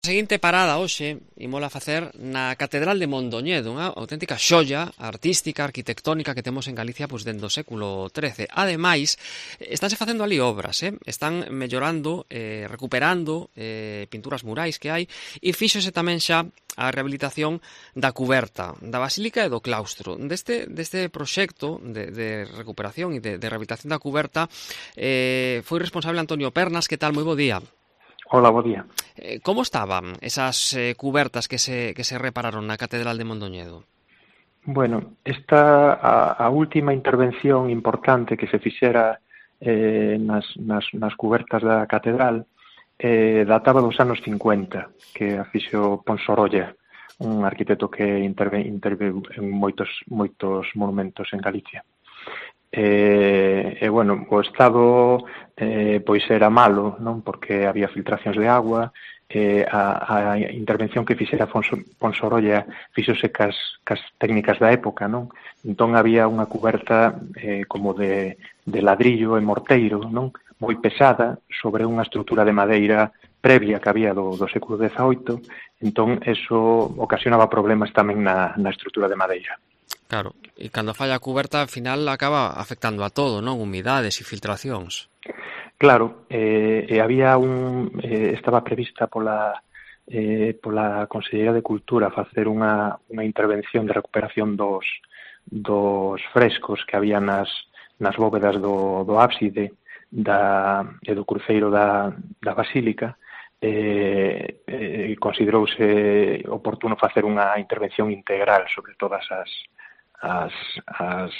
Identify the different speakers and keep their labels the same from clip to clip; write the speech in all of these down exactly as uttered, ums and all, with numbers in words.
Speaker 1: A seguinte parada hoxe imola facer na Catedral de Mondoñedo, unha auténtica xoia artística, arquitectónica que temos en Galicia pois dende o século trece. Ademais, estánse facendo ali obras, eh? están mellorando, eh, recuperando eh, pinturas murais que hai e fíxose tamén xa a rehabilitación da cuberta da Basílica e do claustro. Deste, deste proxecto de, de recuperación e de, de rehabilitación da cuberta eh, foi responsable Antonio Pernas. Que tal? Moi bo día.
Speaker 2: Hola, bo día.
Speaker 1: Eh, como estaban esas eh, cubertas que se, que se repararon na Catedral de Mondoñedo?
Speaker 2: Bueno, esta a, a última intervención importante que se fixera eh, nas, nas, nas cubertas da catedral eh, databa dos anos cincuenta, que a fixo Ponsorolla, un arquitecto que interve, interve en moitos, moitos monumentos en Galicia. E, e bueno, o estado eh, pois era malo, non? Porque había filtracións de agua, eh, a, a intervención que fixera Ponsorolla fixose cas, cas técnicas da época, non? Entón había unha cuberta eh, como de, de ladrillo e morteiro, non? Moi pesada, sobre unha estrutura de madeira previa que había do, do século dezaoito, entón eso ocasionaba problemas tamén na, na estrutura de madeira.
Speaker 1: Claro, e cando falla a cuberta, ao final acaba afectando a todo, non? Humidades e filtracións.
Speaker 2: Claro, eh, e había un eh, estaba prevista pola eh, pola Consellería de Cultura facer unha, unha intervención de recuperación dos, dos frescos que había nas, nas bóvedas do, do ábside da, e do cruceiro da, da Basílica. Eh, eh, considerouse oportuno facer unha intervención integral sobre todas as As, as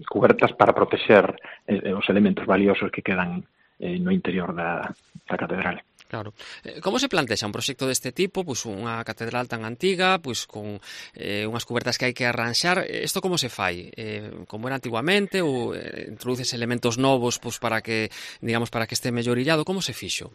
Speaker 2: cubertas para protexer eh, os elementos valiosos que quedan eh, no interior da, da catedral.
Speaker 1: Claro. Como se plantexa un proxecto deste tipo, pois unha catedral tan antiga, pois con eh, unhas cubertas que hai que arranxar? Isto como se fai? Eh, como era antiguamente ou eh, introduces elementos novos pois para que, digamos, para que este mellorillado? Como se fixo?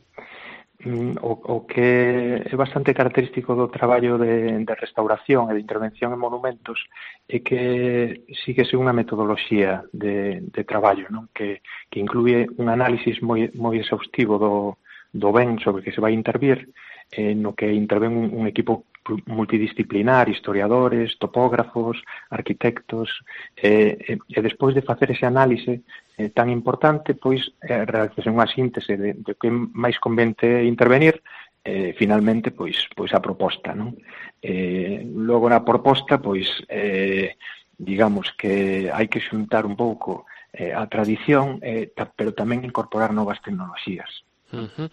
Speaker 2: O, o que é bastante característico do traballo de, de restauración e de intervención en monumentos é que síguese unha metodoloxía de, de traballo, non? Que, que inclúe un análisis moi, moi exhaustivo do, do ben sobre que se vai intervir, eh, no que interven un, un equipo multidisciplinar, historiadores, topógrafos, arquitectos, eh, e, e despois de facer ese análise eh, tan importante, pois eh, realizase unha síntese de, de que máis convente intervenir, eh, finalmente, pois, pois a proposta, non? Eh, logo na proposta, pois, eh, digamos que hai que xuntar un pouco eh, a tradición, eh, ta, pero tamén incorporar novas tecnoloxías.
Speaker 1: Uh-huh.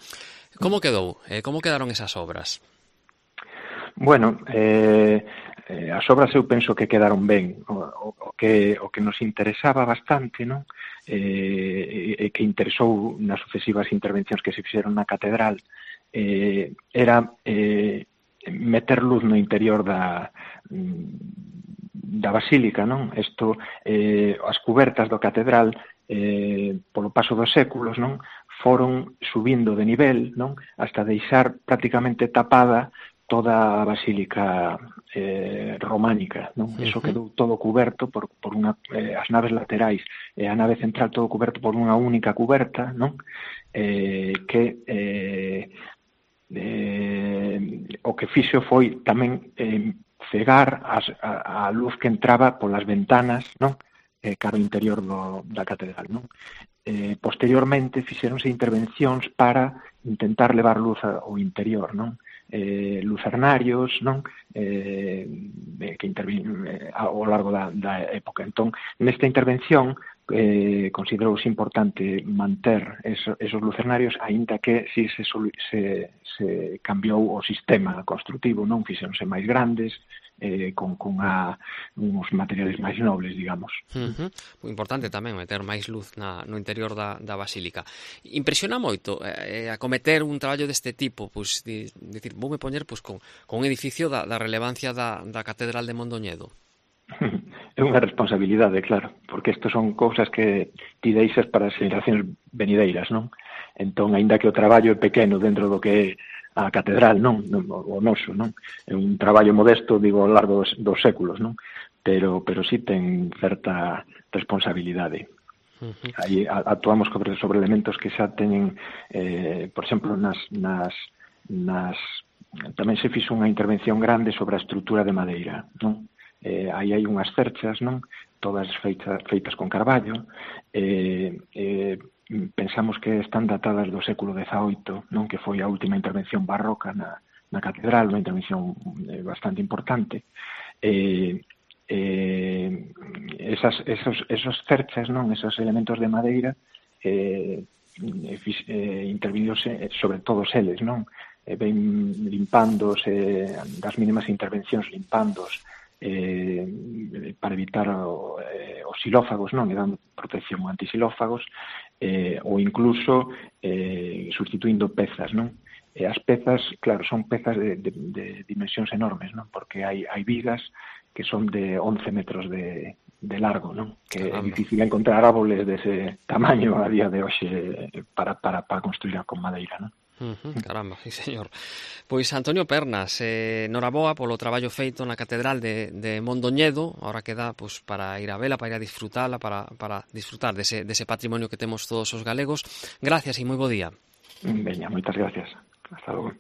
Speaker 1: Como quedou? Eh, como quedaron esas obras?
Speaker 2: Bueno, eh, eh, as obras eu penso que quedaron ben. O, o, o, que, o que nos interesaba bastante, non? Eh, e que interesou nas sucesivas intervencións que se fixeron na catedral eh, era eh, meter luz no interior da, da basílica, non? Isto, eh, as cubertas da catedral eh, polo paso dos séculos, non? Foron subindo de nivel, non? Hasta deixar prácticamente tapada toda a basílica eh, románica, non? Uh-huh. Eso quedou todo cuberto por, por unha, eh, as naves laterais e a nave central todo cuberto por unha única cuberta, non? Eh, que eh, eh, o que fixo foi tamén eh, cegar as, a, a luz que entraba polas ventanas, non? Eh, cara ao interior do, da catedral, non? Eh, posteriormente fixeronse intervencións para intentar levar luz ao interior, non? Eh, lucernarios, non? Eh, que intervin eh, ao largo da, da época. Entón, nesta intervención eh, considerouse importante manter eso, esos lucernarios, aínda que si se, se, se cambiou o sistema construtivo, non? Fixeronse máis grandes, eh, con, con a, uns materiales máis nobles, digamos.
Speaker 1: Uh-huh. Moi importante tamén meter máis luz na, no interior da, da basílica. Impresiona moito eh, acometer un traballo deste tipo, pois, de, de decir, voume poñer pois, con, con un edificio da, da relevancia da, da Catedral de Mondoñedo.
Speaker 2: É unha responsabilidade, claro, porque isto son cousas que ti deixas para as generacións venideiras, non? Entón, aínda que o traballo é pequeno dentro do que é a catedral, non, o noso, non? É un traballo modesto, digo, ao largo dos, dos séculos, non? Pero, pero sí ten certa responsabilidade. Uh-huh. Aí actuamos sobre elementos que xa teñen, eh, por exemplo, nas, nas, nas tamén se fixo unha intervención grande sobre a estrutura de madeira, non? Eh, aí hai unhas cerchas, non? Todas feitas, feitas con carballo, eh, eh, pensamos que están datadas do século dezaoito, non? Que foi a última intervención barroca na, na catedral, unha intervención eh, bastante importante. Eh, eh, esas, esos, esos cerchas, non? Esos elementos de madeira eh, eh, interviñose sobre todos eles, non? Eh, ven limpándose, das mínimas intervencións limpándos, eh, para evitar o, eh, os xilófagos, non? E dando protección antisilófagos, eh, ou incluso eh, sustituindo pezas, non? E as pezas, claro, son pezas de, de, de dimensións enormes, non? Porque hai, hai vigas que son de once metros de, de largo, non? Que é difícil encontrar árboles dese tamaño a día de hoxe para, para, para construir con madeira, non?
Speaker 1: Uh -huh, caramba, sí, señor. Pois Antonio Pernas, eh, noraboa polo traballo feito na Catedral de, de Mondoñedo. Ahora queda pues, para ir a vela, para ir a disfrutala, para, para disfrutar dese, dese patrimonio que temos todos os galegos. Gracias e moi bo día.
Speaker 2: Veña, moitas gracias. Hasta logo.